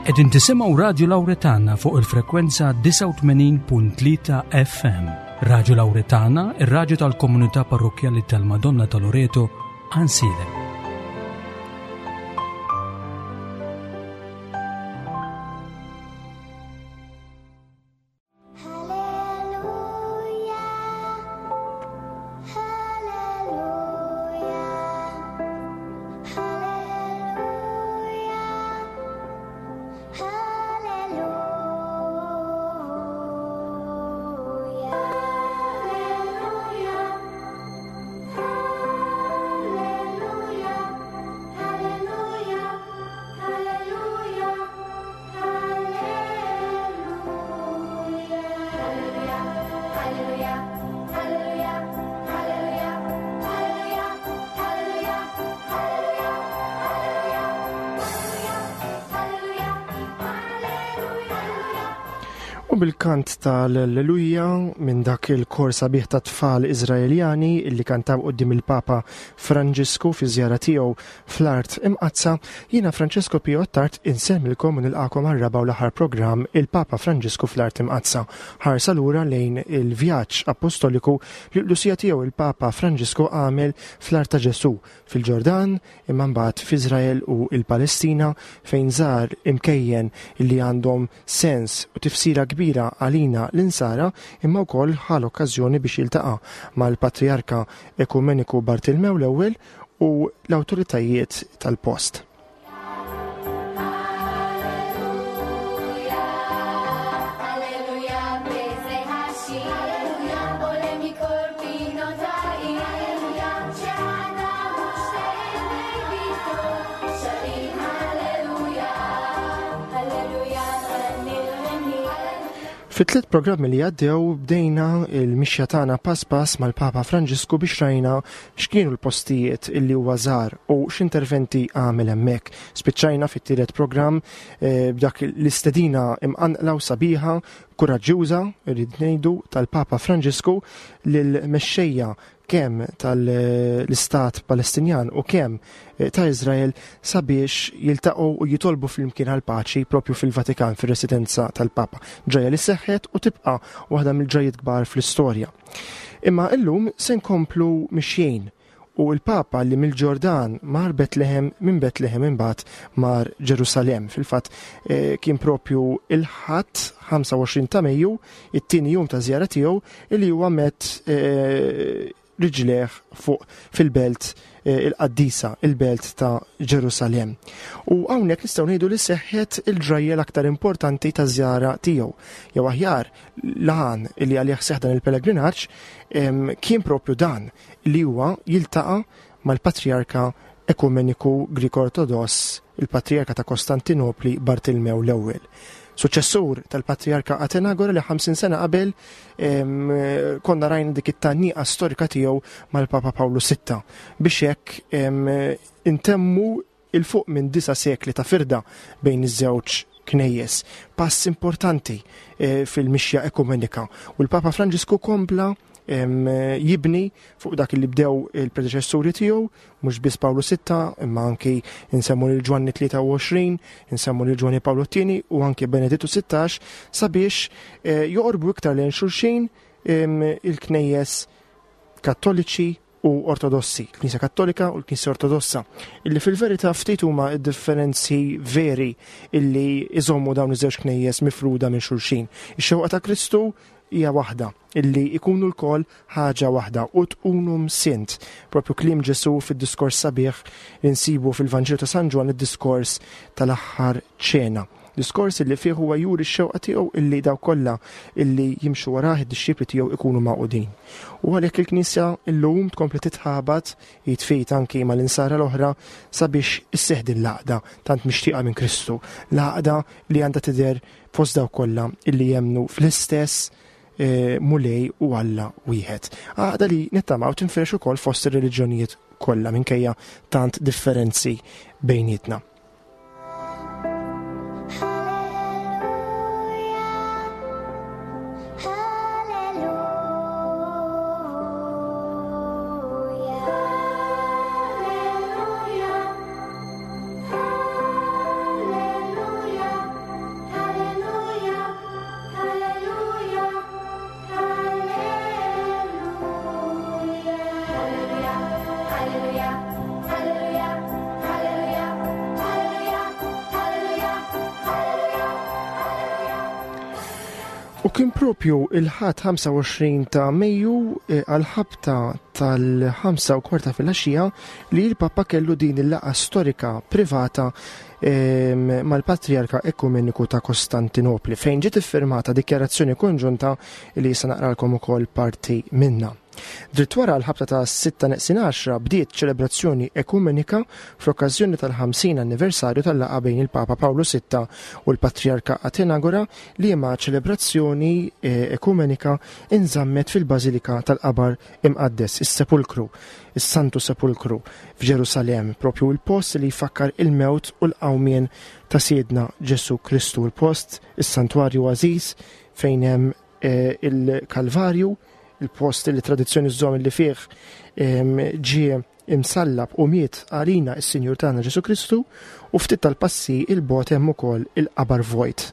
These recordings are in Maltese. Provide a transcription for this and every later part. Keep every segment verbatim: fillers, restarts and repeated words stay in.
Qegħdin tisimgħu Radio Lauretana fuq il-frekwenza disgħa u tmenin punt tlieta F M. Radio Lauretana, ir-raġu tal-komunità parrokjali tal-Madonna ta' Loreto, Għajnsielem. Hallelujah, hallelujah, hallelujah, hallelujah, hallelujah, hallelujah, hallelujah, hallelujah, hallelujah, hallelujah, hallelujah, hallelujah, hallelujah, hallelujah, hallelujah, hallelujah. U bil-kant tal-Alleluja minn dak il-kor sabiħ ta' tfal Izraeljani illi kantaw quddiem il-Papa Franġisku fi żjara tiegħu fl-Art Imqaddsa, jiena Francesco Pio Attard insellmilkom u nilqakom għar-raba' u l-aħħar programm, Il-Papa Franġisku fl-Art Imqaddsa. Ħarsa lura lejn il-vjaġġ apostoliku li l-Qdusija tiegħu il-Papa Franġisku għamel fl-Art ta' Ġesu fil-Ġordan, imma mbagħad f'Iżrael u il-Palestina, fejn żar imkejjen illi għandhom sens u tifsira kbira għalina l-insara, imma wkoll ħa l-okkażjoni biex jiltaqa' mal-Patriarka Ekumeniku Bartilmew l-ewwel u l-awtoritajiet tal-post. Alleluia, b'sei Hallelujah, ole mikol pinotai, Alleluia, sharim, Alleluia, Alleluia, Fit-tliet programmi li għaddew bdejna il-mixja tagħna pass pass mal-Papa Franġisku biex rajna x'kienu l-postijiet illi huwa żar u x'interventi għamel hemmhekk. Spiċċajna fit-tielet programm eh, b'dak l-istedina imqanqla u sabiħa, kuraġġjuża, irrid ngħidu, tal-Papa Franġisku lil-mexxejja kemm tal-Istat Palestinjan u kemm eh, ta' Izrael sabiex jiltaqgħu u jitolbu flimkien għal paċi propju fil-Vatikan, fir-residenza tal-Papa. Ġrajja li seħħet u tibqa' waħda mill-ġrajiet kbar fl-istorja. Imma illum se nkomplu mixjien u l-Papa li mill-Ġordan mar Betlehem, minn Betlehem imbagħad mar Ġerusalem. Fil-fatt eh, kien propju il-Ħadd ħamsa u għoxrin ta' Mejju, it-tieni jum ta' żjara tiegħu, illi huwa met eh, riġlejh fuq fil-belt eh, il-qaddisa, il-belt ta' Ġerusalem. U hawnhekk nistgħu ngħidu li seħħet il-ġrajja l-aktar importanti ta' żjara tiegħu. Jew aħjar, l-għan li għalih seħ dan il-pellegrinaġġ kien propju dan, li huwa jiltaqa' mal-Patriarka Ekumeniku Grik Ortodoss, il-Patriarka ta' Kostantinopli Bartilmew l-ewwel, suċessur tal-Patriarka Atenagora li ħamsin sena qabel konna rajna dik it-tgħanniqa storika tiegħu mal-Papa Pawlu Sitta biex hekk intemmu 'il fuq minn disa sekli ta' firda bejn iż-żewġ knejjes. Pass importanti eh, fil-mixja ekumenika. U l-Papa Franġisku kompla jibni fuq dak li bdew il-predeċessuri tiegħu, mhux biss Pawlu Sitta, imma anki insemmu lil Ġwanni tlieta u għoxrin, insemmu lil Ġwanni Pawlu Tieni u anki Benedittu Sittax, sabiex eh, joqorbu iktar lejn xulxin il-knejjes Kattoliċi u Ortodossi, il-Knisja Kattolika u l-Knisja Ortodossa, illi fil-verità ftit huma d-differenzi veri illi iżommu dawn iż-żewġ knejjes mifruda minn xulxin. Ix-xewqa ta' Kristu hija waħda, illi ikunu lkoll ħaġa waħda, "ut unum sint". Propju kliem Ġesu fid-diskors sabiħ li nsibu fil-Vanġelu ta' San Ġwann, id-diskors tal-aħħar ċena. Diskors illi fih huwa juri x-xewqa tiegħu illi daw kollha illi jimxu warah, id-dixxipli tiegħu, ikunu magħqudin. U għalhekk il-Knisja illum tkompli titħabat jitfejt anki mal-insara l-oħra sabiex isseħ din l-għaqda tant mixtieqa minn Kristu, l-għaqda li għandha tidher fost daw kollha illi jemnu fl-istess eh, Mulej u Alla wieħed. Għaqda li nittamaw tinfirex ukoll fost ir-reliġjonijiet kollha minkejja tant differenzi bejnietna. Hallelujah, hallelujah, hallelujah, hallelujah, U kien propju il-Ħadd ħamsa u għoxrin ta' Mejju eh, għal-ħabta tal-ħamsa u kwarta fil-għaxija li l-Papa kellu din il-laqgħa storika privata ehm, mal-Patriarka Ekumeniku ta' Kostantinopli, fejn ġiet iffirmata dikjarazzjoni konġunta li se naqralkom ukoll parti minna. Dritt wara, l-ħabta ta' sitta neqsin għaxra, bdiet ċelebrazzjoni ekumenika fl-okkażjoni tal-ħamsin anniversarju tal-laqgħa bejn il-Papa Pawlu Sitta u l-Patriarka Atenagora, li ma ċelebrazzjoni eh, ekumenika inżammet fil-Bażilika tal-Qabar Imqaddes, is-Sepulkru, is-Santu Sepulkru f'Ġerusalem, propju il-post li jfakkar il-mewt u l-qawmien ta' Sidna Ġesu Kristu, il-post, is-santwarju għażiż fejn hemm eh, il-Kalvarju, il-post li tradizzjoni żżomm li fih ġie imsallab u miet għalina is-Sinjur tagħna Ġesu Kristu, u ftit tal-passi 'il bogħod hemm ukoll il-qabar vojt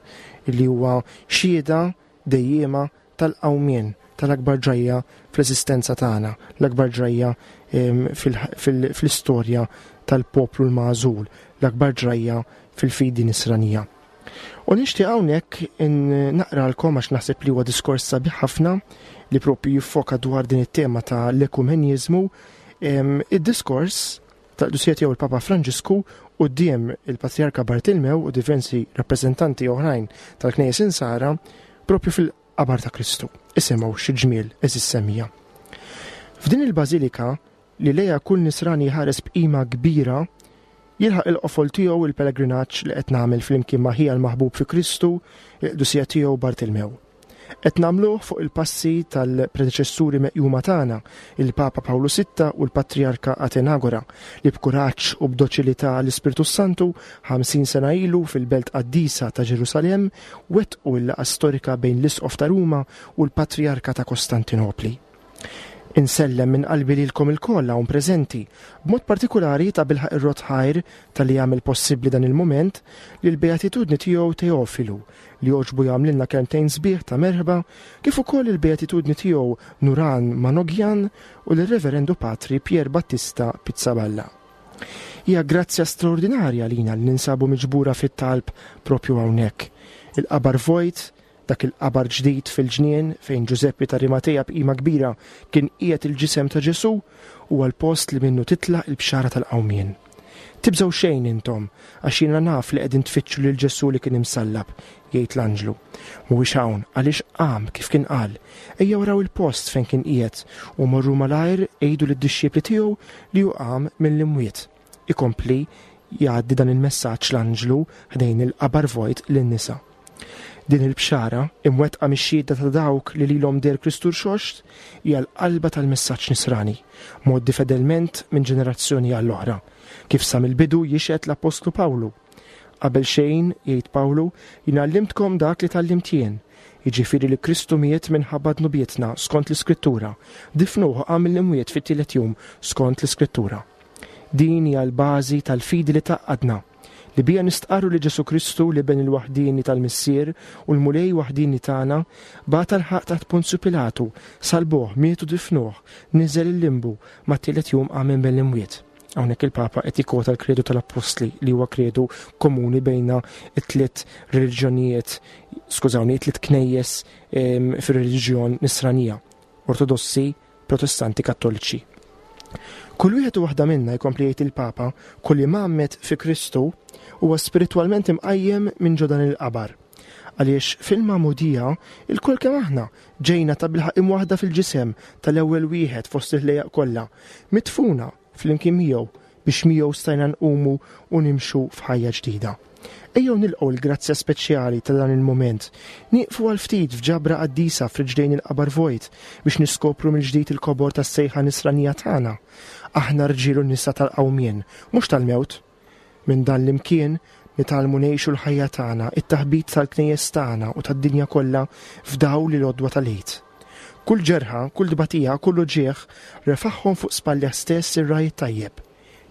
li huwa xhieda dejjema tal-qawmien, tal-akbar ġrajja fl-eżistenza tagħna, l-akbar ġrajja fl-istorja tal-poplu l-magħżul, l-akbar ġrajja fil-fidi nisranija. U nixtieq hawnhekk naqralkom, għax naħseb li huwa diskors sabiħ ħafna li propju jiffoka dwar din it-tema ta' l-ekumenizmu, id-diskors tal-Qdusija Tiegħu il-Papa Franġisku quddiem il-Patriarka Bartilmew u diversi rappreżentanti oħrajn tal-Knejjes Insara propju fil-qabar ta' Kristu. Isimgħu xi ġmiel, għeżież semmiegħa. F'din il-bażilika li lejha kull nisrani ħares b'qima kbira, jilħaq il-qofol tiegħu il-pellegrinaġġ li qed nagħmel flimkien ma' ħija l-maħbub fi Kristu, il-Qdusija Tiegħu Bartilmew. Qed nagħmluh fuq il-passi tal-predeċessuri meqjuma tagħna, il-Papa Pawlu Sitta u l-Patriarka Atenagora, li b'kuraġġ u b'doċilità l-Ispirtu Santu ħamsin sena ilu fil-Belt Qaddisa ta' Ġerusalem wettqu l-laqgħa storika bejn l-Isqof ta' Ruma u l-Patriarka ta' Kostantinopli. Insellem minn qalbi lilkom ilkoll hawn preżenti, b'mod partikolari tabilħaqq irrodd ħajr talli jagħmel possibbli dan il-moment lill-Beatitudni Tiegħu Teofilu, li għoġbu jagħmlilna kelmtejn sbieħ ta' merħba, kif ukoll il-Beatitudni Tiegħu Nuran Manogjan u l-Reverendu Patri Pier Battista Pizzaballa. Hija grazzja straordinarja lina li ninsabu miġbura fit-talb propju hawnhekk. Il-qabar vojt, dak il-qabar ġdid fil-ġnien fejn Ġużeppi ta' Arimateja b'qima kbira kien qiegħed il-ġisem ta' Ġesu, huwa l-post li minnu titla' il-bxara tal-qawmien. "Tibżgħu xejn intom, għax jiena naf li qegħdin tfittxu lil Ġesu li kien imsallab," jgħid l-anġlu. "Mhuwiex hawn, għaliex qam kif kien qal. Ejja waraw il-post fejn kien qiegħed u morru malajr għidu lid-dixxipli tiegħu li hu qam mill-imwiet." Ikompli jgħaddi dan il-messaġġ l-anġlu ħdejn il-qabar vojt lin-nisa. Din il-bxara, imwettqa mix-xhieda ta' dawk li lilhom deher Kristu rxoxt, hija l-qalba tal-messaġġ nisrani, mgħoddi fedelment minn ġenerazzjoni għall-oħra, kif sa mill-bidu jixhed l-Apostlu Pawlu. "Qabel xejn," jgħid Pawlu, "jien għallimtkom dak li tgħallimt jien, jiġifieri li Kristu miet minħabba dnubietna skont l-Iskrittura, difnuh, qam mill-imwiet fit-tielet jum skont l-Iskrittura." Din hija l-bażi tal-fidi li tgħaqqadna, li bija nistqarru li Ġesu Kristu, l-Iben il-waħdini tal-Missier u l-Mulej waħdini tagħna, bata l-ħaqq taħt Ponzju Pilatu, salbuh, mietu, difnuh, niżel il-limbu, mat-tielet jum qam minn l-imwiet. Hawnhekk il-Papa qed jikkwota l-Kredu tal-Appostli, li huwa kredu komuni bejna it-tliet reliġjonijiet, skużawni, it-tliet knejjes fir-reliġjon nisranija, Ortodossi, Protestanti, Kattoliċi. "Kull wieħed u waħda minna," jkompli jgħid il-Papa, "kull imgħammed fi Kristu huwa spiritwalment imqajjem minn ġo dan il-qabar. Għaliex fil-magħmudija ilkoll kemm aħna ġejna tabilħaqq imwaħda fil-ġisem tal-ewwel wieħed fost il-ħlejjaq kollha, midfuna flimkien miegħu biex miegħu stajna nqumu u nimxu f'ħajja ġdida. Ejjew nilqgħu l-grazzja speċjali ta' dan il-moment. Nieqfu għal ftit f'ġabra qaddisa f'riġlejn il-qabar vojt biex niskopru mill-ġdid il-kobor tas-sejħa nisranija tagħna. Aħna rġiel u nisa tal-qawmien, mhux tal-mewt. Minn dan l-imkien nitgħallmu ngħixu l-ħajja tagħna, it-taħbit tal-knejjes tagħna u tad-dinja kollha f'dawl l-għodwa tal-Għid. Kull ġerħa, kull tbatija, kull uġigħ refagħhom fuq spallejh stess ir-Ragħaj it-Tajjeb,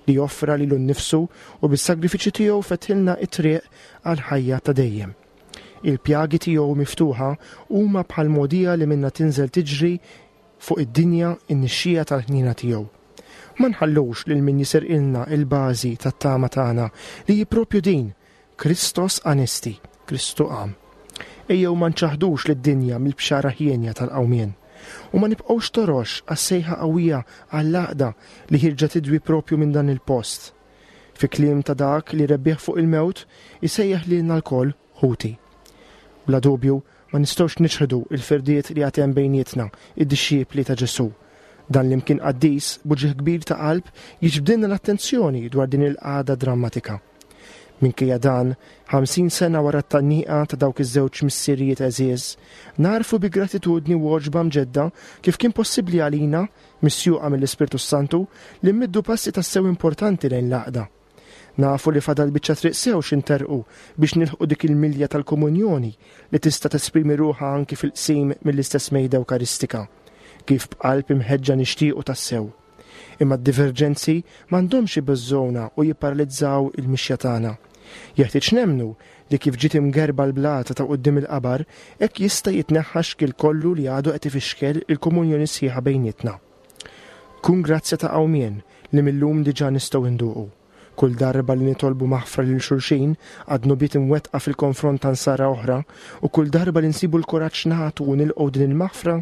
li offra lilu nnifsu u bis-sagrifiċi tiegħu fetħilna it-triq għal ħajja ta' dejjem. Il-pjagi tiegħu miftuħa huma bħal mogħdija li minna tinżel tiġri fuq id-dinja in-nixxija tal-ħnina tiegħu. Ma nħallux lil min jisirqilna il-bażi tat-tama tagħna, li hi propju din: Christos Anesti, Kristu qam. Ejjew ma nċaħdux lid-dinja mill-bxara ħienja tal-qawmien. U ma nibqgħux torox għas-sejħa qawwija għall-għaqda li ħierġa tidwi propju minn dan il-post. Fi kliem ta' dak li rebbieħ fuq il-mewt, isejjaħ lilna lkoll ħuti. Bla dubju, ma nistgħux niċħdu il-firdiet li għad hemm bejnietna, id-dixxipli ta' Ġesù. Dan l-imkien qaddis, b'uġigħ kbir ta' qalb, jiġbdilna l-attenzjoni dwar din il-qagħda drammatika. Minkejja dan, ħamsin sena wara t-tgħanniqa ta' dawk iż-żewġ missirijiet għeżież, narfu bi gratitudni u għoġba mġedda kif kien possibbli għalina, misjuqa mill-Ispirtu Santu, li mmiddu passi tassew importanti lejn l-għaqda. Nafu li fadal biċċa triq sew x'interqu biex nilħqu dik il-milja tal-komunjoni li tista' tesprimi ruħha anki fil-qsim mill-istess mejda Ewkaristika, kif b'qalb imħeġġa nixtiequ tassew. Imma d-diverġenzi m'għandhomx ibeżżgħuna u jipparalizzaw il-mixja tagħna. Jeħtieġ nemmnu li kif ġiet imgerba l-blata ta' quddiem il-qabar, hekk jista' jitneħħa xkiel kollu li għadu qed ifixkel il-komunjoni sħiħa bejnietna. Kun grazzja ta' qawmien li millum diġà nistgħu nduqu. Kull darba li nitolbu maħfra lil xulxin għad-dnubiet imwettqa fil-konfront ta' nsara oħra, u kull darba li nsibu l-kuraġġ nagħtu u nilqgħu din il-maħfra,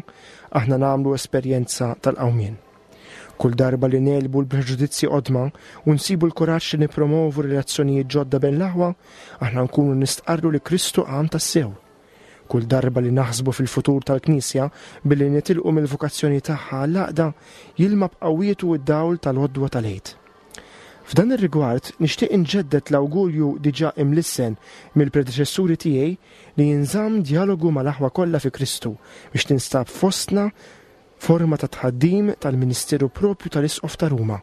aħna nagħmlu esperjenza tal-qawmien. Kull darba li nelbu l-preġudizzji qodma u nsibu l-kuraġġ li nipromovu relazzjonijiet ġodda bejn l-aħwa, aħna nkunu nistqarru li Kristu qam tassew. Kull darba li naħsbu fil-futur tal-Knisja billi nitilqu mill-vokazzjoni tagħha għall-għaqda, jilma b'qawwietu d-dawl tal-għodwa tal-Għid. F'dan ir-rigward nixtieq inġedded l-awgurju diġà imlissen mill-predeċessuri tiegħi li jinżamm dialogu mal-aħwa kollha fi Kristu biex tinstab fostna forma ta' tħaddim tal-Ministeru propju tal-Isqof ta' Ruma,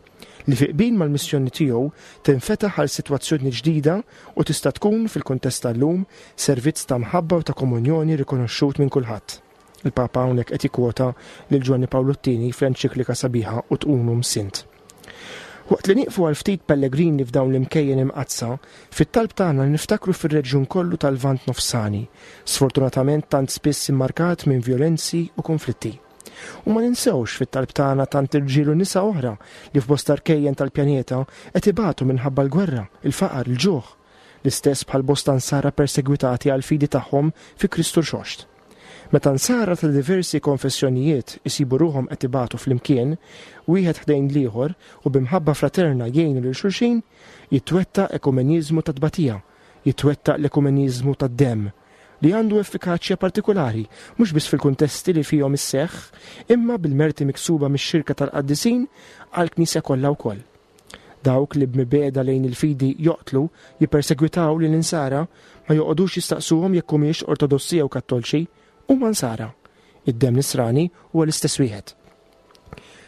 li fi qbil mal-missjoni tiegħu tinfetaħ għal sitwazzjoni ġdida u tista' tkun fil-kuntest tal-lum servizz ta' mħabba u ta' komunjoni rikonoxxut minn kulħadd. Il-Papa hawnhekk qed jikkwota lil Ġwanni Pawlu t-tieni fl-enċiklika sabiħa Ut Unum Sint. Waqt li nieqfu għal ftit pellegrini f'dawn l-imkejjen imqaddsa, fit-talb tagħna niftakru fir-reġjun kollu tal-Lvant Nofsani, sfortunatament tant spiss immarkat minn violenzi u konflitti. U ma ninsewx fit-talb tagħna tant irġiel u nisa oħra li f'bosta rkejjen tal-pjaneta qed ibatu minħabba l-gwerra, il-faqar, il-ġuħ, l-istess bħal bosta nsara persegwitati għal fidi tagħhom fi Kristu Rxoxt. Meta nsara ta' diversi konfessjonijiet isibu ruħhom qed ibatu flimkien, wieħed ħdejn l-ieħor u b'imħabba fraterna jgħinu lil xulxin, jitwettaq ekumeniżmu ta' tbatija, jitwettaq l-ekumeniżmu tad-demm, li għandu effikaċja partikolari, mhux biss fil-kuntesti li fihom isseħħ, imma bil-merti miksuba mix-xirka tal-qaddisin għall-Knisja kollha wkoll. Dawk li b'mibegħda lejn il-fidi joqtlu, jippersegwitaw lil insara, ma joqogħdux jistaqsuhom jekk humiex ortodossi jew kattolċi, huma nsara. Id-demm nisrani huwa l-istess wieħed.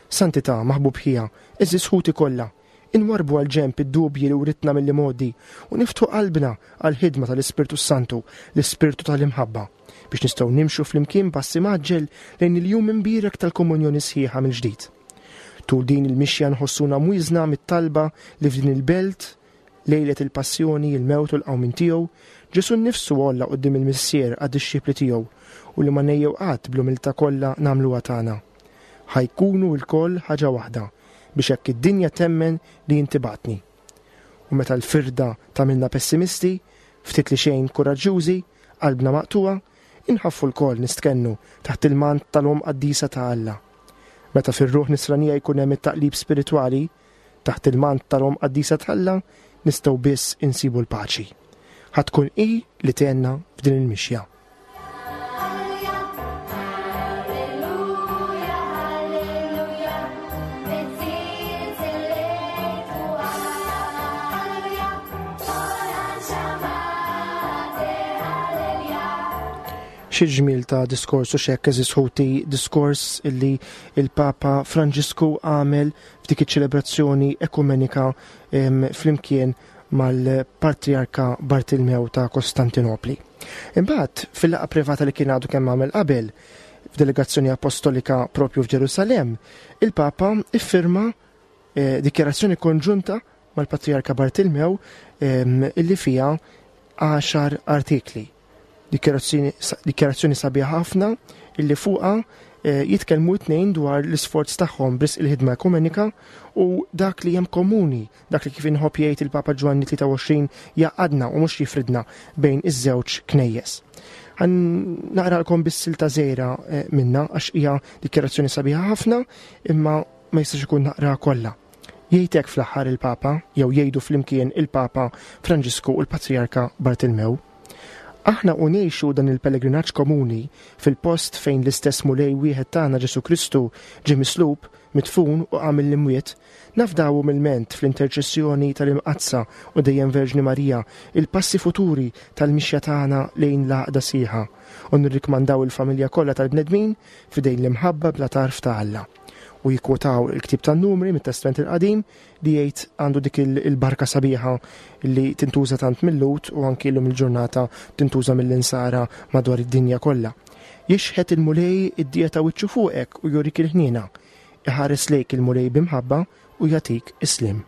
Santità, maħbub ħija, għeżież ħuti kollha, inwarbu għal ġenb id-dubji li writna mill-modi u niftħu qalbna għal ħidma tal-Ispirtu Santu, l-Ispirtu tal-imħabba, biex nistgħu nimxu flimkien passi mgħaġġel lejn il-jum imbierek tal-komunjoni sħiħa mill-ġdid. Tul din il-mixja nħossuna mwiżna mit-talba li f'din il-belt, lejlet il-passjoni, il-mewt u l-qawmien tiegħu, Ġesù nnifsu għolla quddiem il-Missier għad-dixxipli tiegħu u li ma nejjew qatt bl-umiltà kollha nagħmluha tagħna. Ħajkunu lkoll ħaġa waħda biex hekk id-dinja temmen li inti bagħtni. U meta l-firda tagħmilna pessimisti, ftit li xejn kuraġġjużi, qalbna maqtuha, inħaffu lkoll nistkennu taħt il-mant tal-Omm Qaddisa ta' Alla. Meta fir-ruħ nisranija jkun hemm it-taqlib spiritwali, taħt il-mant tal-Omm Qaddisa ta' Alla nistgħu biss insibu l-paċi. Ħa tkun hi li tgħinna f'din il-mixja. Alleluja, alleluja, alleluja, Xi ġmiel ta' diskors u xekk, għeżież ħuti, diskors illi il-Papa Franġisku għamel f'dik iċ-ċelebrazzjoni ekumenika, em, flimkien mal-Patriarka Bartilmew ta' Kostantinopli. Imbagħad fil-laqgħa privata li kien għadu kemm għamel qabel f'delegazzjoni apostolika propju f'Ġerusalemm, il-Papa iffirma, eh, dikjarazzjoni konġunta mal-Patriarka Bartilmew, em, illi fiha għaxar artikli. Dikjarazzjoni, dikjarazzjoni sabiħa ħafna illi fuqha, eh, jitkellmu t-tnejn dwar l-isforz tagħhom b'risq il-ħidma ekumenika u dak li hemm komuni, dak li kif inħobb jgħid il-Papa Ġwanni tlieta u għoxrin jaqadna u mhux jifridna bejn iż-żewġ knejjes. Ħa naqralkom biss silta żgħira eh, minna għax hija dikjarazzjoni sabiħa ħafna imma ma jistax ikun naqra kollha. Jgħid hekk fl-aħħar il-Papa, jew jgħidu flimkien il-Papa Franġisku u l-Patrijarka Bartilmew. Aħna u ngħixu dan il-pellegrinaġġ komuni fil-post fejn l-istess Mulej wieħed tagħna Ġesu Kristu ġie mislub, midfun u qam mill-imwiet, nafdaw umilment fl-interċessjoni tal-Imqaddsa u dejjem Verġni Marija il-passi futuri tal-mixja tagħna lejn l-għaqda sħiħa u nirrikmandaw il-familja kollha tal-bnedmin f'idejn l-imħabba bla tarf ta' Alla. U jikkwotaw il-ktib tan-numri mit-Testament il-Qadim li jgħid għandu dik il-barka sabiħa li tintuża tant mil-Lhud u anki llum il-ġurnata tintuża mill-insara madwar id-dinja kollha. Jixħet il-Mulej id-dija ta' wiċċu fuqek u jurik il-ħniena. Iħares lejk il-Mulej b'imħabba u jagħtik is-sliem.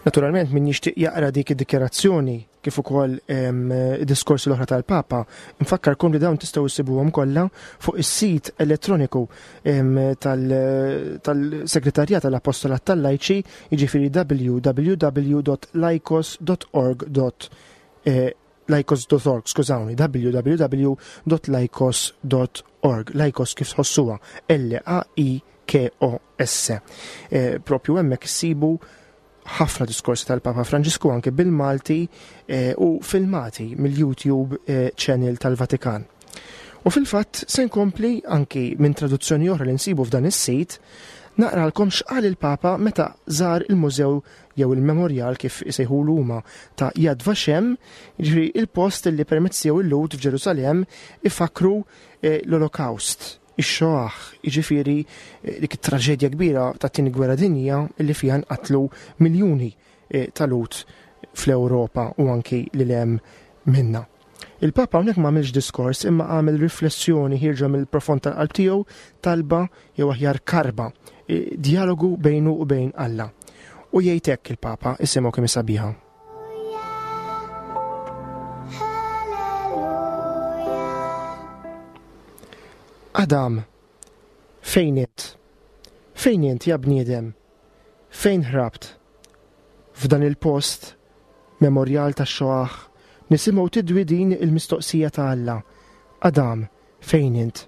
Naturalment min jixtieq jaqra dik id-dikjarazzjoni kif ukoll id-diskorsi l-oħra tal-Papa, nfakkarkom li dawn tistgħu issibuhom kollha fuq is-sit elettroniku tal-Segretarjat tal-Apostolat tal-Lajċi, jiġifieri w w w dot laikos dot org dot, eh, laikos dot org, skużawni, w w w dot laikos dot org, laikos kif tħossuha, L A I K O S. Eh, propju hemmhekk issibu ħafna diskorsi tal-Papa Franġisku anke bil-Malti, eh, u filmati mill-YouTube, eh, channel tal-Vatikan. U fil-fatt se nkompli anki minn traduzzjoni oħra li nsibu f'dan is-sit, naqralkom x'qal il-Papa meta żar il-mużew jew il-memorial kif isejħulu huma ta' Yad Vashem, jiġifieri il-post li permezz tiegħu il-Lhud f'Ġerusalemm ifakru, eh, l-Olokawst, ix-Xoah, jiġifieri, eh, dik it-traġedja kbira tat-tieni gwerra dinjija li fiha nqatlu miljuni, eh, ta' Lhud fl-Ewropa u anki lil hemm minna. Il-Papa hawnhekk ma għamilx diskors imma għamel riflessjoni ħierġa mill-profond tal-qalb tiegħu, talba jew aħjar karba, eh, dialogu bejnu u bejn Alla. U jgħid hekk il-Papa, isimgħu kemm sabiħa. Adam, fejn int? Fejn int, ja bniedem? Fejn ħrabt? F'dan il-post, memorial tax-Xoah, nisimgħu tidwi din il-mistoqsija ta' Alla. Adam, fejn int?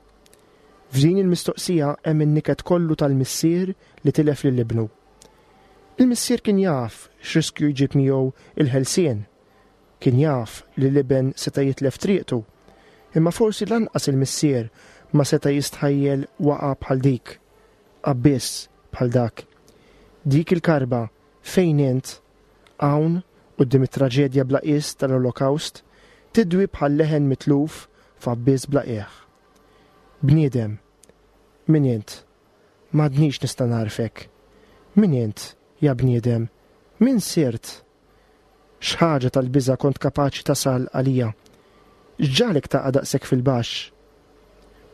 F'din il-mistoqsija hemm in-niket kollu tal-missier li tilef lil ibnu. Il-missier kien jaf x'riskju jġib miegħu il-ħelsien. Kien jaf li l-iben seta' jitlef triqtu. Imma forsi lanqas il-missier ma seta' jistħajjel waqa' bħal dik, abbiss bħal dak. Dik il-karba fejn int, hawn quddiem it-traġedja bla qies tal-Olokawst, tidwi bħal leħen mitluf f'abbiss bla qiegħ. Bniedem, min int? M'għadnix nista' narfek. Min int, ja bniedem? Min sirt? X'ħaġa tal-biża' kont kapaċi tasal għalija? X'ġalek taqa' daqshekk fil-baxx?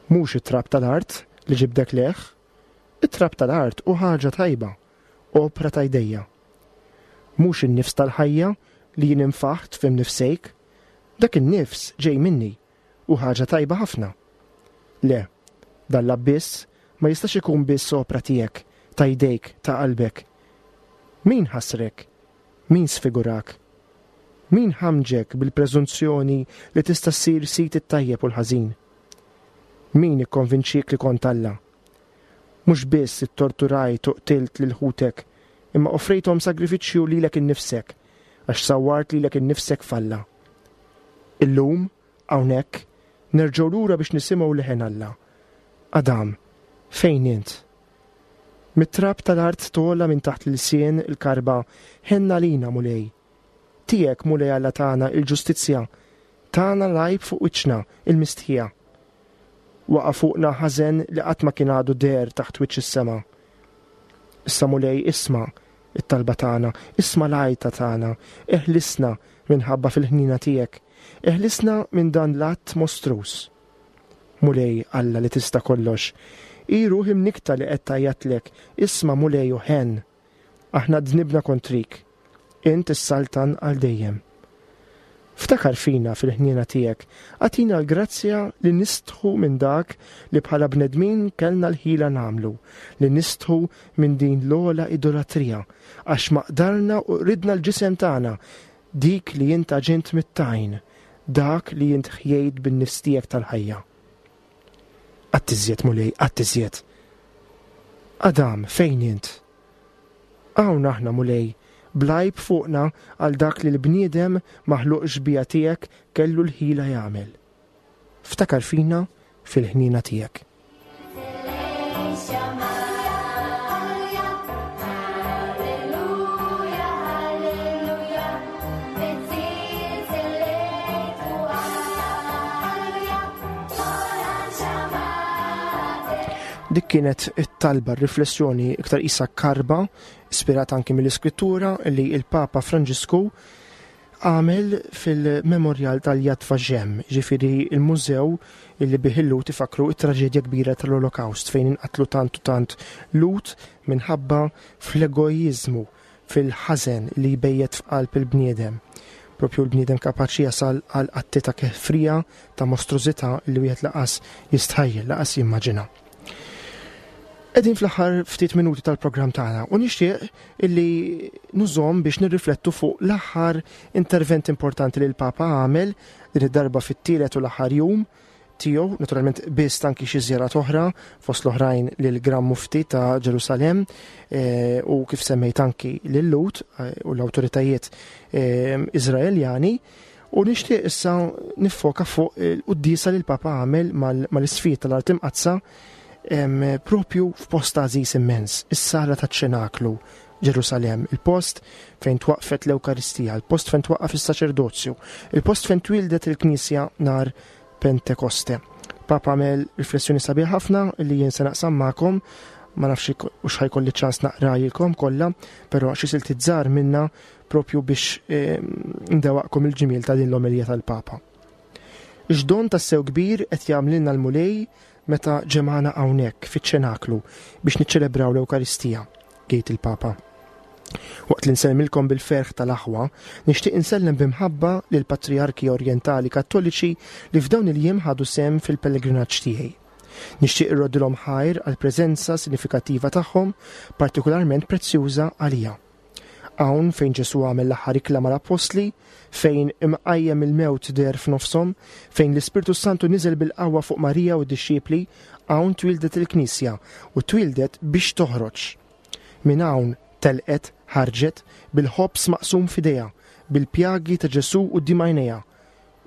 Mhux it-trab tal-art li ġibdek leħ? It-trab tal-art hu ħaġa tajba, opra ta' jdejja. Mhux in-nifs tal-ħajja li jien infaħt fim nifsejk? Dak in-nifs ġej minni u ħaġa tajba ħafna. Le, dan l-abbiss ma jistax ikun biss opra tiegħek, ta' jdejk, ta' qalbek. Min ħasrek? Min sfigurak? Min ħamġek bil-preżunzjoni li tista' ssir sit it-tajjeb u l-ħażin? Min ikkonvinċik li kont Alla? Mhux biss ittorturajt u qtilt lil ħutek, imma offrejthom sagrifiċċju lilek innifsek, għax sawwart lilek innifsek f'Alla. Illum, hawnhekk, nerġgħu lura biex nisimgħu leħen Alla. Adam, fejn int? Mit-trab tal-art togħla minn taħt l-ilsien il-karba, ħenna lina, Mulej. Tiegħek, Mulej Alla tagħna, il-ġustizzja, tagħna l-għajb fuq wiċċna, il-mistħija. Waqa' fuqna ħażen li qatt ma kien għadu deher taħt wiċċ is-sema. Issa Mulej isma' it-talba tagħna, isma' l-għajta tagħna, eħlisna minħabba fil-ħnina tiegħek, eħlisna minn dan l-att mostruż. Mulej Alla li tista' kollox, hi ruħi mnikta li qed tgħajjatlek, isma' Mulej u ħen. Aħna dnibna kontrik, int is-saltan għal dejjem. Ftakar fina fil-ħniena tiegħek, agħtina l-grazzja li nistħu minn dak li bħala bnedmin kellna l-ħila nagħmlu, li nistħu minn din l-ogħla idolatrija, għax maqdarna u ridna l-ġisem tagħna, dik li int għaġint mit-tajn, dak li int ħjejt bin-nifs tiegħek tal-ħajja. Qatt iżjed, Mulej, qatt iżjed. Adam, fejn int? Hawn aħna, Mulej, bl-għajb fuqna għal dak li l-bniedem maħluq xbieha tiegħek kellu l-ħila jagħmel. Ftakar fina fil-ħniena tiegħek. Alleluja, alleluja, Alleluja, Dik kienet it-talba, riflessjoni iktar isa karba, ispirata anki mill-iskrittura li il-Papa Franġisku għamel fil-memorial tal-Yad Vashem, ġifieri il-mużew illi bih il-Lhud ifakru it-traġedja kbira tal-Olokaust fejn inqatlu tant u tant Lhud minħabba fl-egoizmu, fil-ħażen li jbejjet f'qalb il-bniedem. Propju l-bniedem kapaċi jasal għal atti ta' kefrija, ta' mostrużità li wieħed lanqas jistħajjel, lanqas jimmaġina. Qegħdin fl-aħħar ftit minuti tal-programm tagħna u nixtieq illi nużahom biex nirriflettu fuq l-aħħar intervent importanti li l-Papa għamel din id-darba fit-tielet u l-aħħar jum tiegħu, naturalment biss anki xi żjarat oħra fost l-oħrajn lil Gran Mufti ta' Ġerusalemm eh, u kif semmejt anki lil Lhud eh, u l-awtoritajiet eh, Iżraeljani. U nixtieq issa niffoka fuq il-quddiesa li l-Papa għamel mal-isqfijiet tal-Art Imqaddsa em, propju f'post għażiż immens, is-sala taċ-ċenaklu Ġerusalemm, il-post fejn twaqfet l-Ewkaristija, il-post fejn twaqqaf is-saċerdozju, il-post fejn twildet il-Knisja nar Pentekoste. Papa għamel riflessjoni sabiħ ħafna li jien se naqsam magħkom, ma nafx u ħa jkolli ċans naqrajilkom kollha, però xi siltiet żgħar minna propju biex ndewwaqkom il-ġmiel ta' din l-omelija tal-Papa. X'don tassew kbir qed jagħmlilna l-Mulej meta ġemana hawnhekk fiċ-ċenaklu biex niċċelebraw l-Ewkaristija, jgħid il-Papa. Waqt li nsellmilkom bil-ferħ tal-aħwa, nixtieq insellem b'imħabba lil patriarki orjentali kattoliċi li f'dawn il-jiem ħadu sehem fil-pellegrinaġġ tiegħi. Nixtieq irroddilhom ħajr għal preżenza sinifikattiva tagħhom, partikolarment prezzjuża għalija. Hawn fejn Ġesu għamel l-aħħar ikla mal-appostli, fejn imqajjem il-mewt deher f'nofshom, fejn l-Ispirtu Santu niżel bil-qawwa fuq Marija u d-dixxipli, hawn twildet il-Knisja u twildet biex toħroġ. Minn hawn telqet, ħarġet, bil-ħobż maqsum f'idejha, bil-pjagi ta' Ġesu quddiem għajnejha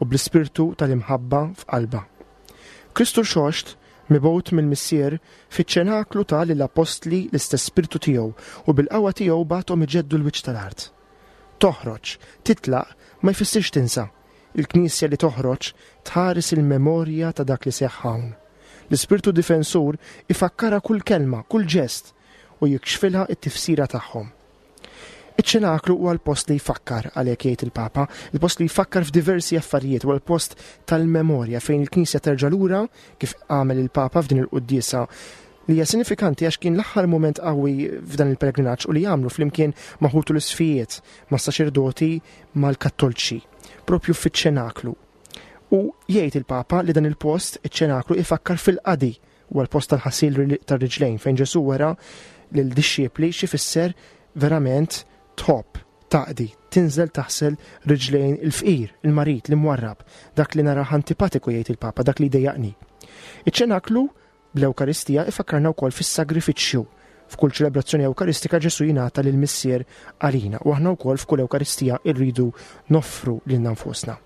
u bl-ispirtu tal-imħabba f'qalbha. Kristu Rxoxt, mibgħut mill-Missier, fiċ-ċenaklu ta lill-appostli l-istess spirtu tiegħu u bil-qawwa tiegħu bagħathom iġeddu l-wiċċ tal-art. Toħroġ, titlaq, ma jfissirx tinsa. Il-Knisja li toħroġ tħares il-memorja ta' dak li seħħ hawn. L-ispirtu difensur ifakkara kull kelma, kull ġest u jikxfilha t-tifsira tagħhom. Iċ-ċenaklu huwa l-post li jfakkar, għalhekk jgħid il-Papa, il-post li jfakkar f'diversi affarijiet, huwa l-post tal-memorja fejn il-Knisja terġa' lura kif għamel il-Papa f'din il-quddiesa li hija sinifikanti għax kien l-aħħar mument qawwi f'dan il-pellegrinaġġ u li jagħmlu flimkien ma' ħutu l-isqfijiet, ma' saċerdoti, mal-kattolċi, propju fiċ-ċenaklu. U jgħid il-Papa li dan il-post, iċ-ċenaklu, ifakkar fil-qadi, huwa l-post tal-ħasil tar-riġlejn fejn Ġesu wera lil-dixxipli x'ifisser verament tħobb, taqdi, tinżel taħsel riġlejn il-fqir, il-marid, l-imwarrab, dak li nara antipatiku jgħid il-Papa, dak li jdejjaqni. Iċ-ċenaklu bl-Ewkaristija ifakkarna wkoll fis-sagrifiċċju. F'kull ċelebrazzjoni Ewkaristika Ġesu jingħata lil Missier għalina u aħna wkoll f'kull Ewkaristija rridu noffru lilna nfusna.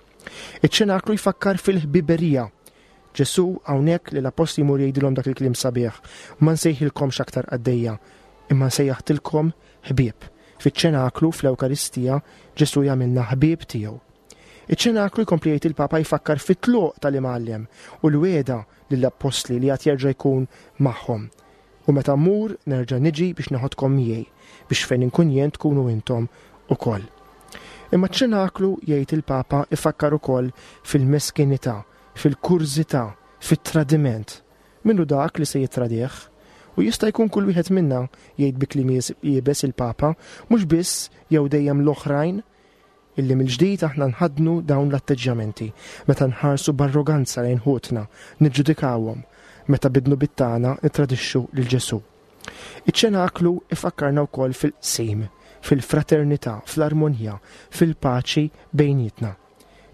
Iċ-ċenaklu jfakkar fil-ħbiberija. Ġesu hawnhekk li l-appostli jmur jgħidilhom dak il-kliem sabiħ, ma nsejħilkomx aktar qaddejja, imma nsejjaħtilkom ħbieb. Fiċ-ċenaklu fl-Ewkaristija Ġesu jagħmilna ħbieb tiegħu. Iċ-ċenaklu jkompli jgħid il-Papa jfakkar fit-tluq tal-imgħallem u l-wegħda lill-appostli li għad jerġa' jkun magħhom. U meta mmur nerġa' niġi biex neħodkom miegħi, biex fejn inkun jien tkunu intom ukoll. Imma ċ-ċenaklu jgħid il-Papa ifakkar ukoll fil-meskinità, fil-kurżità, fit-tradiment. Minnu dak li se jittradih? U jista' jkun kull wieħed minna, jgħid bi kliem iebes il-Papa, mhux biss jew dejjem l-oħrajn, illi mill-ġdid aħna nħaddnu dawn l-atteġġjamenti, meta nħarsu b'arroganza lejn ħutna, niġġudikawhom, meta bid-dnubiet tagħna nittradixxu lil Ġesù. Iċ-ċenaklu ifakkarna wkoll fil-qsim, fil-fraternità, fl-armonija, fil-paċi bejnietna.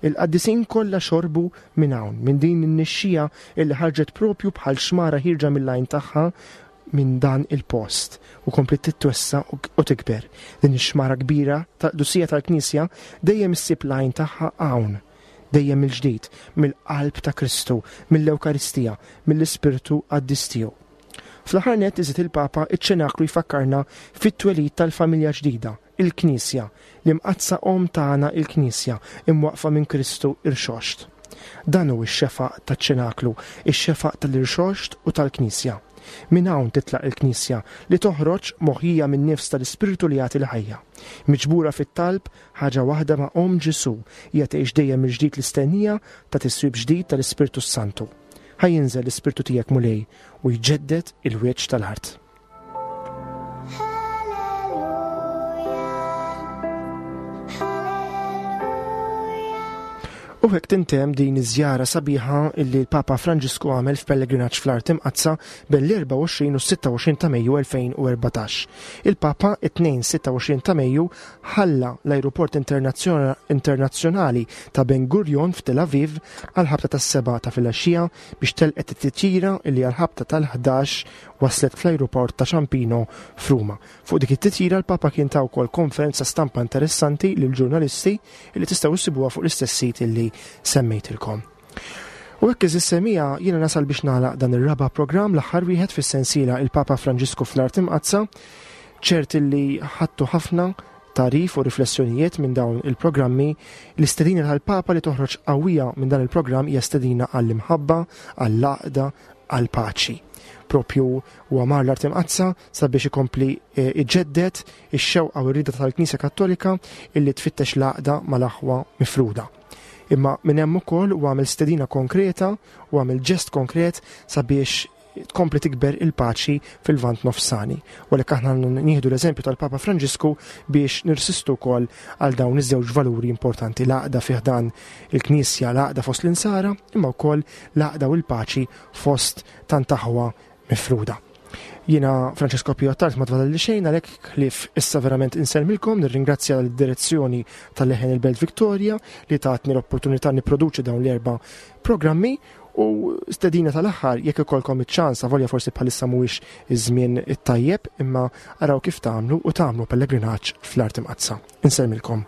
Il-qaddisin kollha xorbu minn hawn, minn din in-nixxija illi ħarġet propju bħal xmara ħierġa mill-għajn tagħha minn dan il-post u kompliet titwessa u tikber. Din ix-xmara kbira tal-qdusija tal-Knisja dejjem issib l-għajn tagħha hawn, dejjem mill-ġdid, mill-qalb ta' Kristu, mill-Ewkaristija, mill-Ispirtu Qaddis tiegħu. Fl-aħħar nett iżid il-Papa, iċ-ċenaklu jfakkarna fit-twelid tal-familja ġdida, il-Knisja, l-imqaddsa Omm tagħna il-Knisja, imwaqfa minn Kristu irxoxt. Dan hu x-xefaq taċ-ċenaklu, ix-xefaq tal-irxoxt u tal-Knisja. Minn hawn titlaq il-Knisja li toħroġ moħjija minn nifs tal-Ispirtu li jagħti l-ħajja. Miġbura fit-talb, ħaġa waħda ma' Omm Ġesù, hija tgħix dejjem mill-ġdid l-istennija ta' tiswib ġdid tal-Ispirtu s-Santu. Ħa jinżel l-Ispirtu tiegħek, Mulej, u jġedded il-wiċċ tal-art. U hekk tintemm din iż-żjara sabiħa illi l-Papa Franġisku għamel f'pellegrinaġġ fl-Art Imqaddsa bejn l-erbgħa u għoxrin u s-sitta u għoxrin ta' Mejju elfejn u erbatax. Il-Papa it-Tnejn sitta u għoxrin ta' Mejju ħalla l-ajruport internazzjonali ta' Ben Gurion f'Tel Aviv għal-ħabta tas-sebgħa ta' filgħaxija biex telqet it-titjira illi għal-ħabta tal-ħdax waslet fl-ajruport ta' Ciampino f'Ruma. Fuq dik it-titjira l-Papa kien ta wkoll konferenza stampa interessanti lill-ġurnalisti illi tistgħu issibuha fuq l-istess sit illi semmejtilkom. U hekk iżis semija jiena nasal biex nagħlaq dan ir-raba' programm, l-aħħar wieħed fis-sensiela il-Papa Franġisku fl-Art Imqaddsa. Ċert illi ħadtu ħafna tagħrif u riflessjonijiet minn dawn il-programmi. L-istedina tal-Papa li toħroġ qawwija minn dan il-programm hija stedina għall-imħabba, għall-għaqda, għall-paċi. Propju huwa mar l-Art Imqaddsa sabiex ikompli, eh, iġeddet ix-xewqa u r-rieda tal-Knisja Kattolika illi tfittex l-għaqda mal-aħwa mifruda. Imma minn hemm ukoll u għamel stedina konkreta u għamel ġest konkret sabiex tkompli tikber il-paċi fil-Lvant Nofsani. U għalhekk aħna nieħdu l-eżempju tal-Papa Franġisku biex nirsistu wkoll għal dawn iż-żewġ valuri importanti, l-għaqda fih dan il-Knisja, l-għaqda fost l-insara, imma wkoll l-għaqda u l-paċi fost tant aħwa mifruda. Jiena Francesco Pio Attard ma tfadalli xejn, għalhekk ħlief issa verament insellmilkom, nirringrazzja l-direzzjoni tal-Leħen il-Belt Victoria li tatni l-opportunità nipproduċi dawn l-erba' programmi, u stedina tal-aħħar jekk ikollkom iċ-ċans, avolja forsi bħalissa mhuwiex iż-żmien it-tajjeb, imma araw kif tagħmlu u tagħmlu pellegrinaġġ fl-Art Imqaddsa. Insellmilkom.